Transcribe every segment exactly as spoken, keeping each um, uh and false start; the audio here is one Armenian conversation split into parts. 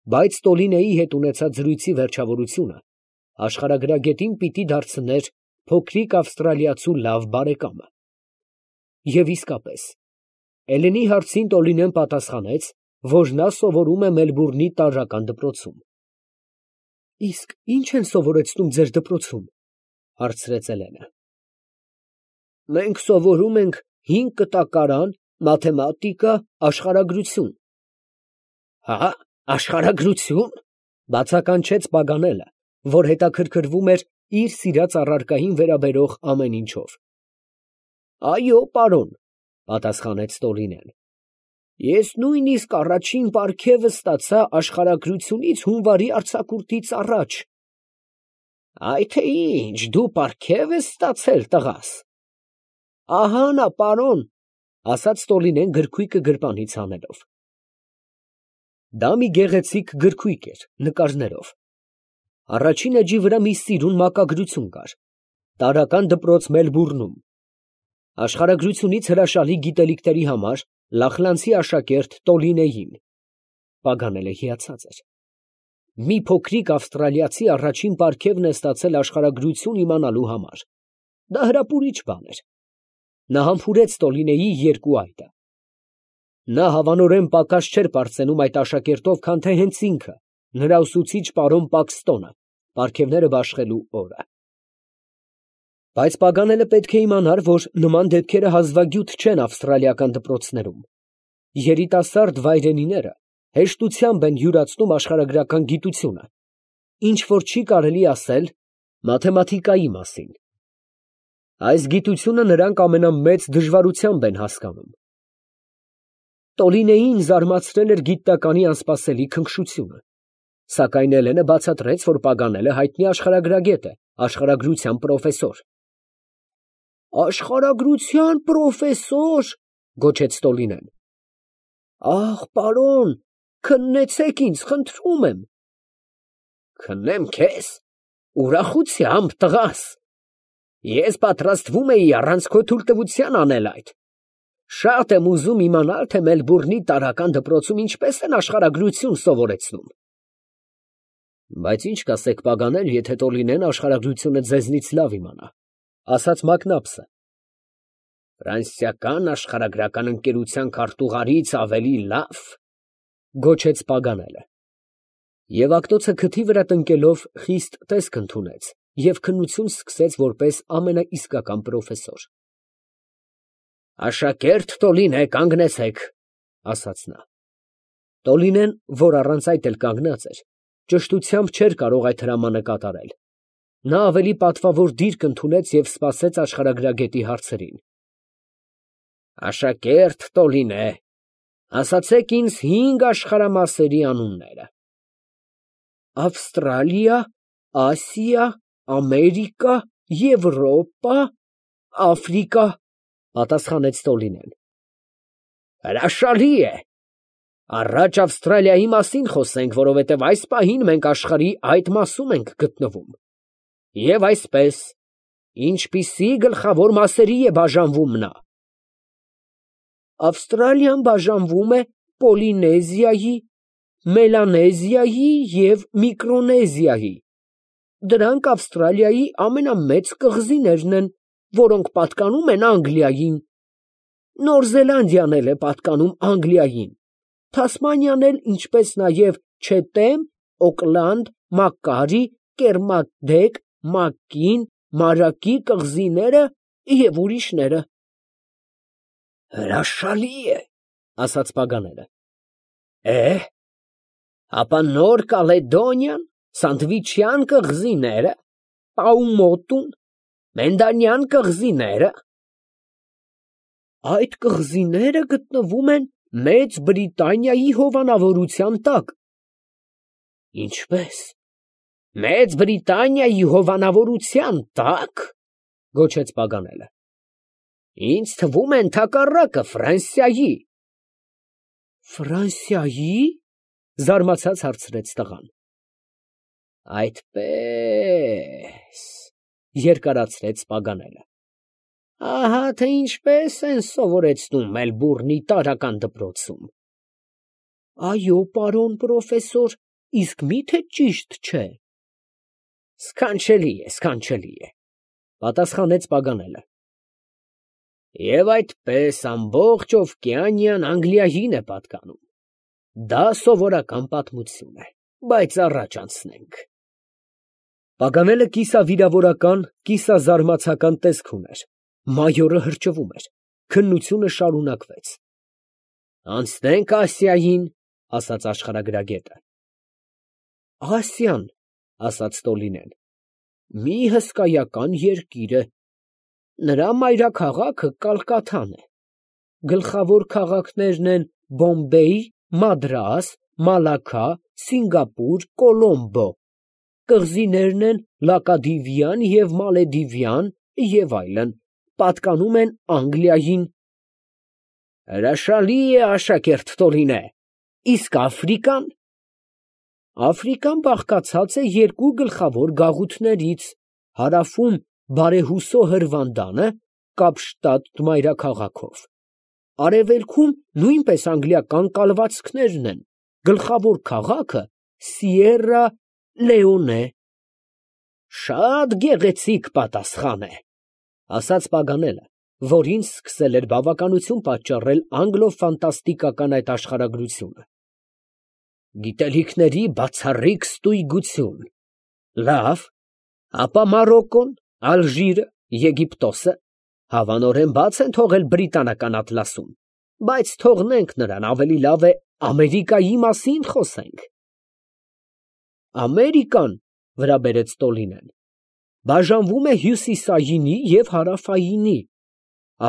Բայց Տոլինեի հետ ունեցած զրույցի վերջավորությունը աշխարհագրագետին պիտի դարձներ փոքրիկ ավստրալիացու լավ բարեկամը։ Եվ իսկապես, Էլենի հարցին Տոլինեն պատասխանեց, որ նա սովորում է Մելբուրնի տարրական դպրոցում։ ֊ Իսկ ի՞նչ են սովորեցնում ձեր դպրոցում, ֊ հարցրեց Էլենը։ ֊ Մենք սովորում ենք հին կտակարան, մաթեմատիկա, աշխարհագրություն։ ֊ Հա՞, աշխարհագրությո՞ւն, ֊ բացականչեց Պագանելը, որ հետաքրքրվում էր իր սիրած առարկային վերաբերող ամեն ինչով։ ֊ Այո, պարոն, ֊ պատասխանեց Տոլինեն, ֊ ես նույնիսկ առաջին պարգևը ստացա աշխարհագրությունից հունվարի արձակուրդից առաջ։ ֊ Այ թե ինչ, դու պարգև ես ստացել, տղաս։ ֊ Ահա նա, պարոն, ֊ ասաց Տոլինեն գրքույկը գրպանից հանելով։ Դա մի գեղեցիկ գրքույկ էր, նկարներով։ Առաջին էջի վրա մի սիրուն մակագրություն կար. «Տարրական դպրոց Մելբուրնում. աշխարհագրությունից հրաշալի գիտելիքների համար Լախլանցի աշակերտ Տոլինեին»։ Պագանելը հիացած էր։ Մի փոքրիկ ավստրալիացի առաջին պարգևն է ստացել աշխարհագրություն իմանալու համար։ Դա հրապուրիչ բան էր։ Նա համբուրեց Տոլինեի երկու այտը։ Նա հավանորեն պակաս չէր պարծենում այդ աշակերտով, քան թե հենց ինքը, նրա ուսուցիչ պարոն Պաքստոնը, պարգևները բաշխելու օրը։ Բայց Պագանելը պետք է իմանար, որ նման դեպքերը հազվագյուտ չեն ավստրալիական դպրոցներում։ Երիտասարդ վայրենիները հեշտությամբ են յուրացնում աշխարհագրական գիտությունը, ինչ որ չի կարելի ասել մաթեմատիկայի մասին։ Այս գիտությունը նրանք ամենամեծ դժվարությամբ են հասկանում։ Տոլինեին զարմացրել էր գիտականի անսպասելի քնքշությունը, սակայն Էլենը բացատրեց, որ Պագանելը հայտնի աշխարհագրագետ է, աշխարհագրության պրոֆեսոր։ Աշխարհագրության պրոֆեսոր, ֊ գոչեց Տոլինեն։ Ահ, պարոն, քննեցեք ինձ, խնդրում եմ։ Քննեմ քեզ, ուրախությամբ, տղաս։ Ես պատրաստվում էի առանց քո թույլտվության անել այդ։ Շատ եմ ուզում իմանալ, թե Մելբուրնի տարրական դպրոցում ինչպես են աշխարհագրություն սովորեցնում։ Բայց ինչ կասեք, Պագանել, եթե Տոլինեն աշխարհագրությունը ձեզնից լավ իմանա, ֊ ասաց Մակնաբսը։ Ֆրանսիական աշխարհագրական ընկերության քարտուղարից ավելի լավ, ֊ գոչեց Պագանելը։ Եվ ակտոցը քթի վրա տնկելով խիստ տեսք ընդունեց և քննություն սկսեց որպես ամենաիսկական պրոֆեսոր։ Աշակերտ Տոլինե, կանգնեցեք, ֊ ասաց նա։ Տոլինեն, որ առանց այդ էլ կանգնած էր, ճշտությամբ չէր կարող այդ հրամանը կատարել։ Նա ավելի պատվավոր դիրք ընդունեց և սպասեց աշխարհագրագետի հարցերին։ Աշակերտ Տոլինե, ասացեք ինձ հինգ աշխարհամասերի անունները։ Ավստրալիա, Ասիա, Ամերիկա, Եվրոպա, Աֆրիկա, ֊ պատասխանեց Տոլինեն։ Հրաշալի է։ Առաջ Ավստրալիայի մասին խոսենք, որովհետև այս պահին մենք աշխարհի այդ մասում ենք գտնվում։ Եվ այսպես, ինչպիսի գլխավոր մասերի է բաժանվում նա։ Ավստրալիան բաժանվում է Պոլինեզիայի, Մելանեզիայի և Միկրոնեզիայի։ Դրանք Ավստրալիայի ամենամեծ կղզիներն են, որոնք պատկանում են Անգլիային։ Նոր Զելանդիան էլ է պատկանում Անգլիային, Թասմանիան էլ, ինչպես նաև Չեթեմ, Օկլանդ, Մակկարի, Կերմադեք, Մակկին, Մարակի կղզիները և ուրիշները։ Հրաշալի է, ֊ ասաց Պագանելը։ Է, ապա Նոր Կալեդոնիան, Սանդվիչյան կղզիները, Պաումոտուն, Մենդանյան կղզիները։ Այդ կղզիները գտնվում են Մեծ Բրիտանիայի հովանավորության տակ։ Ինչպե՞ս, Մեծ Բրիտանիայի հովանավորության տա՞կ, ֊ գոչեց Պագանելը։ Ինձ թվում է ընդհակառակը, Ֆրանսիայի։ Ֆրանսիայի՞, ֊ զարմացած հարցրեց տղան։ Այդպե՞ս, ֊ երկարացրեց Պագանելը։ Ահա թե ինչպես են սովորեցնում Մելբուրնի տարրական դպրոցում։ Այո, պարոն պրոֆեսոր, իսկ մի՞թե ճիշտ չէ։ Սքանչելի է, սքանչելի է, պատասխանեց Պագանելը։ Եվ այդպես ամբողջ Օվկիանիան Անգլիային է պատկանում։ Դա սովորական պատմություն է, բայց առաջ անցնենք։ Պագանելը կիսավիրավորական, կիսազարմացական տեսք ուներ։ Մայորը հրճվում էր։ Քննությունը շարունակվեց։ Անցնենք Ասիային, ասաց աշխարհագրագետը։ Ասիան, ասաց Տոլինեն, մի հսկայական երկիր է։ Նրա մայրաքաղաքը Կալկաթան է։ Գլխավոր քաղաքներն են Բոմբեյ, Մադրաս, Մալաքա, Սինգապուր, Կոլոմբո։ Կղզիներն են Լակադիվյան և Մալեդիվյան և այլն, պատկանում են Անգլիային։ Հրաշալի է, աշակերտ Տոլինե, իսկ Աֆրիկան։ Աֆրիկան բաղկացած է երկու գլխավոր գաղութներից, հարավում բարեհուսո Հրվանդանը, Կապշտադ մայրաքաղաքով, արևելքում նույնպես անգլիական կալվածքներն են, գլխավոր քաղաքը Սիերա Լեոնե։ Շատ գեղեցիկ պատասխան է, ասաց Պագանելը, որին սկսել էր բավականություն պատճառել անգլո֊ֆանտաստիկական այդ աշխարհագրությունը։ Գիտելիքների բացառիկ ստույգություն։ Լավ, ապա Մարոկկոն, Ալժիրը, Եգիպտոսը հավանորեն բաց են թողել բրիտանական ատլասում, բայց թողնենք նրան, ավելի լավ է Ամերիկայի մասին խոսենք։ Ամերիկան, վրա բերեց Տոլինեն, բաժանվում է հյուսիսայինի և հարավայինի։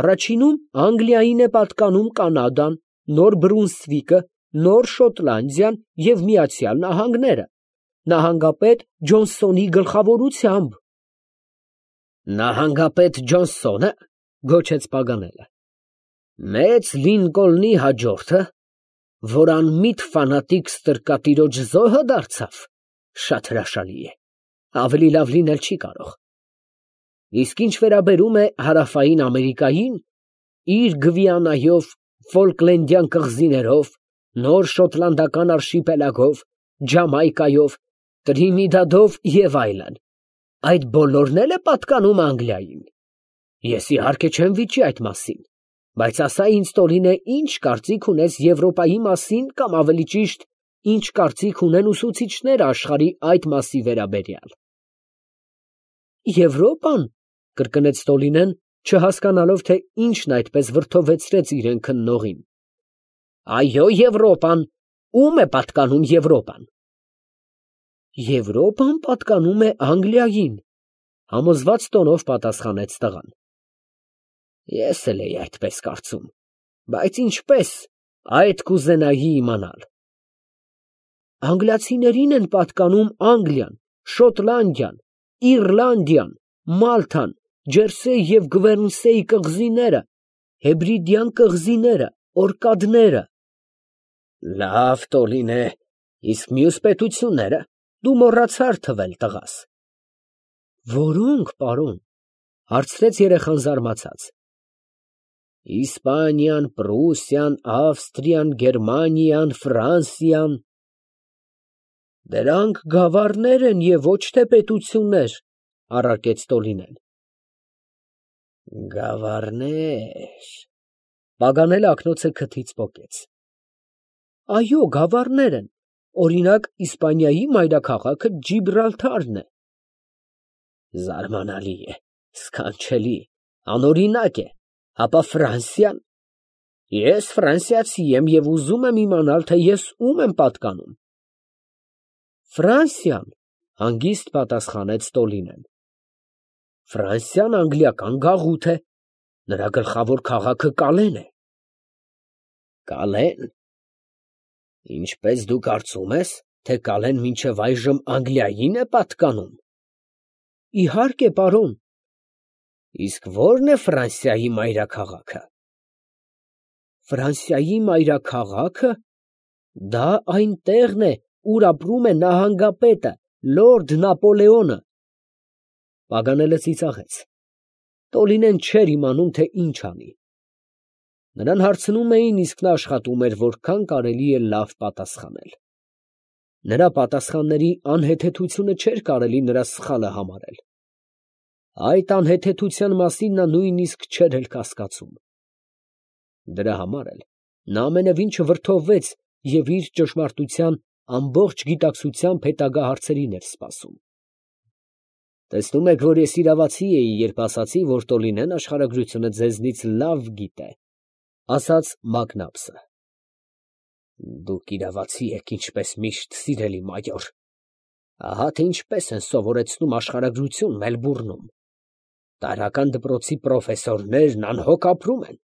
Առաջինում Անգլիային է պատկանում Կանադան, Նոր Բրունսվիկը, Նոր Շոտլանդիան և Միացյալ Նահանգները, նահանգապետ Ջոնսոնի գլխավորությամբ։ Նահանգապետ Ջոնսոնը, գոչեց Պագանելը, մեծ Լինկոլնի հաջորդը, որ անմիտ ֆանատիկ ստրկատիրոջ զոհը դարձավ, շատ հրաշալի է, ավելի լավ լինել չի կարող։ Իսկ ինչ վերաբերում է հարավային Ամերիկային, իր Գվիանայով, Ֆոլկլենդյան կղզիներով, Նոր Շոտլանդական արշիպելագով, Ջամայկայով, Տրինիդադով և այլն, այդ բոլորն էլ է պատկանում Անգլիային։ Ես իհարկե չեմ վիճի այդ մասին, բայց ասա ինձ, Տոլինե, ինչ կարծիք ունես Եվրոպայի մասին, կամ ավելի ճիշտ, ինչ կարծիք ունեն ուսուցիչները աշխարհի այդ մասի վերաբերյալ։ Եվրոպան, կրկնեց Տոլինեն, չհասկանալով, թե ինչն այդպես վրդովեցրեց իրեն քննողին։ Այո, Եվրոպան, ո՞ւմ է պատկանում Եվրոպան։ Եվրոպան պատկանում է Անգլիային, համոզված տոնով պատասխանեց տղան։ Ես էլ էի այդպես կարծում, բայց ինչպես, այդ կուզենայի իմանալ։ Անգլիացիներին են պատկանում Անգլիան, Շոտլանդիան, Իռլանդիան, Մալթան, Ջերսեյ և Գվերնսեյ կղզիները, Հեբրիդյան կղզիները, Օրկադները։ Լավ, Տոլինե, իսկ մյուս պետությունները դու մոռացար թվել, տղաս։ Որո՞նք, պարոն, հարցրեց երեխան զարմացած։ Իսպանիան, Պրուսիան, Ավստրիան, Գերմանիան, Ֆրանսիան։ Դրանք գավառներ են և ոչ թե պետություններ, առարկեց Տոլինեն։ Գավառներ։ Պագանելը ակնոցը քթից պոկեց։ Այո, գավառներ են, օրինակ, Իսպանիայի մայրաքաղաքը Ջիբրալթարն է։ Զարմանալի է, սքանչելի, անօրինակ է, ապա Ֆրանսիան։ Ես ֆրանսիացի եմ և ուզում եմ իմանալ, թե ես ում եմ պատկանում։ Ֆրանսիան, հանգիստ պատասխանեց Տոլինեն։ Ֆրանսիան անգլիական գաղութ է, նրա գլխավոր քաղաքը Կալեն է։ Կալեն։ Ինչպես դու կարծում ես, թե Կալեն մինչև այժմ Անգլիային է պատկանում։ Իհարկե, պարոն։ Իսկ ո՞րն է Ֆրանսիայի մայրաքաղաքը։ Ֆրանսիայի մայրաքաղաքը, դա այն տեղն է, ուր ապրում է նահանգապետը, լորդ Նապոլեոնը։ Պագանելը ծիծաղեց։ Տոլինեն չէր իմանում, թե ինչ անի։ Նրան հարցնում էին, իսկ նա աշխատում էր, որքան կարելի է լավ պատասխանել։ Նրա պատասխանների անհեթեթությունը չէր կարելի նրա սխալը համարել։ Այդ անհեթեթության մասին նա նույնիսկ չէր էլ կասկածում։ Դրա համար էլ նա ամենևին չվրդովվեց և իր ճշմարտության ամբողջ գիտակցությամբ հետագա հարցերին էր սպասում։ Տեսնում եք, որ ես իրավացի էի, երբ ասացի, որ Տոլինեն աշխարհագրությունը ձեզնից լավ գիտե, ֊ ասաց Մակնաբսը։ Դուք իրավացի եք, ինչպես միշտ, սիրելի մայոր։ Ահա թե ինչպես են սովորեցնում աշխարհագրություն Մելբուրնում։ Տարրական դպրոցի պրոֆեսորներն անհոգ ապրում են։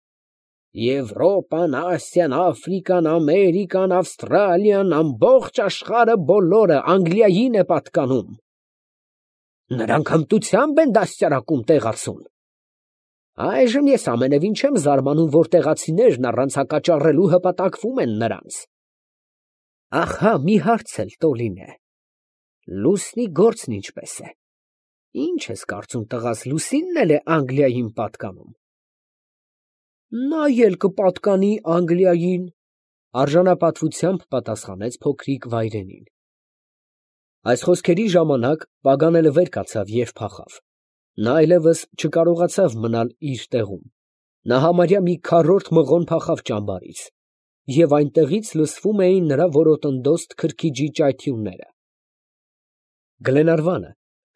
Եվրոպան, Ասիան, Աֆրիկան, Ամերիկան, Ավստրալիան, ամբողջ աշխարհը բոլորը Անգլիային է պատկանում։ Նրանք հմտությամբ են դաստիարակում տեղացուն։ Այժմ ես ամենևին չեմ զարմանում, որ տեղացիներն առանց հակաճառելու հպատակվում են նրանց։ Ահա մի հարց էլ, Տոլինե, Լուսնի գործն ինչպես է։ Ինչ ես կարծում, տղաս, Լուսինն էլ է Անգլիային պատկանում։ Նա էլ կպատկանի Անգլիային, արժանապատվությամբ պատասխանեց փոքրիկ վայրենին։ Այս խոսքերի ժամանակ Պագանելը վեր կացավ և փախավ։ Նա այլևս չկարողացավ մնալ իր տեղում։ Նա համարյա մի քառորդ մղոն փախավ ճամբարից, և այնտեղից լսվում էին նրա որոտնդոստ քրքիջի ճայթյունները։ Գլենարվանը,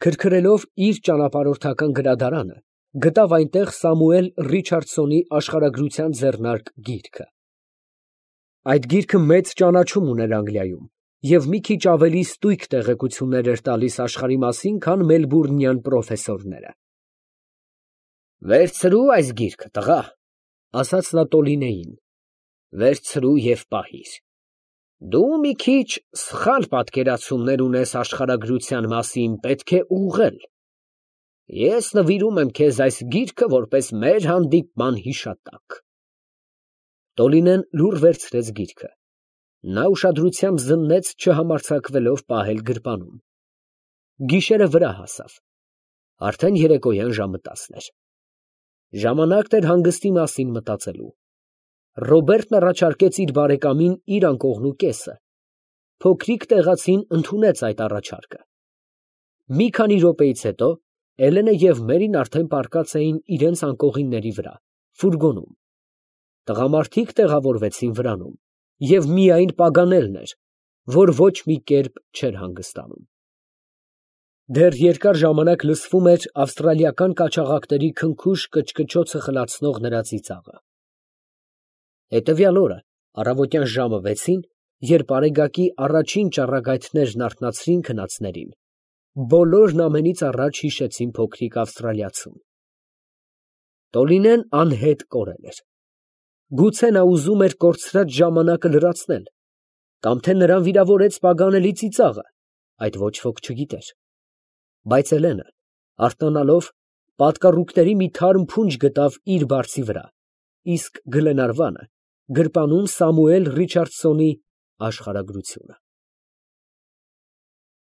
քրքրելով իր ճանապարհորդական գրադարանը, գտավ այնտեղ Սամուել Ռիչարդսոնի աշխարհագրության ձեռնարկ գիրքը։ Այդ գիրքը մեծ ճանաչում ուներ Անգլիայում և մի քիչ ավելի ստույգ տեղեկություններ էր տալիս աշխարհի մասին, քան մելբուրնյան պրոֆեսորները։ Վերցրու այս գիրքը, տղա, ֊ ասաց նա Տոլինեին, ֊ վերցրու և պահիր։ Դու մի քիչ սխալ պատկերացումներ ունես աշխարհագրության մասին, պետք է ուղղել։ Ես նվիրում եմ քեզ այս գիրքը որպես մեր հանդիպման հիշատակ։ Տոլինեն լուռ վերցրեց գիրքը։ Նա ուշադրությամբ զննեց, չհամարձակվելով պահել գրպանում։ Գիշերը վրա հասավ։ Արդեն երեկոյան ժամը տասն էր։ Ժամանակն էր հանգստի մասին մտածելու։ Ռոբերտն առաջարկեց իր բարեկամին իր անկողնու կեսը։ Փոքրիկ տեղացին ընդունեց այդ առաջարկը։ Մի քանի րոպեից հետո Էլենը և Մերին արդեն պառկած էին իրենց անկողինների վրա, ֆուրգոնում։ Տղամարդիկ տեղավորվեցին վրանում, և միայն Պագանելն էր, որ ոչ մի կերպ չէր հանգստանում։ Դեռ երկար ժամանակ լսվում էր ավստրալիական կաչաղակների քնքուշ կչկչոցը խլացնող նրա ծիծաղը։ Հետևյալ օրը առավոտյան ժամը վեցին, երբ արեգակի առաջին ճառագայթներն արթնացրին քնածներին, բոլորն ամենից առաջ հիշեցին փոքրիկ ավստրալիացուն։ Տոլինեն անհետ կորել էր։ Գուցե նա ուզում էր կորցրած ժամանակը լրացնել, կամ թե նրան վիրավորեց Պագանելի ծիծաղը, այդ ոչ ոք չգիտեր։ Բայց Էլենը, արթնանալով, պատկառուկների մի թարմ փունջ գտավ իր բարձի վրա, իսկ Գլենարվանը գրպանում Սամուել Ռիչարդսոնի աշխարհագրությունը։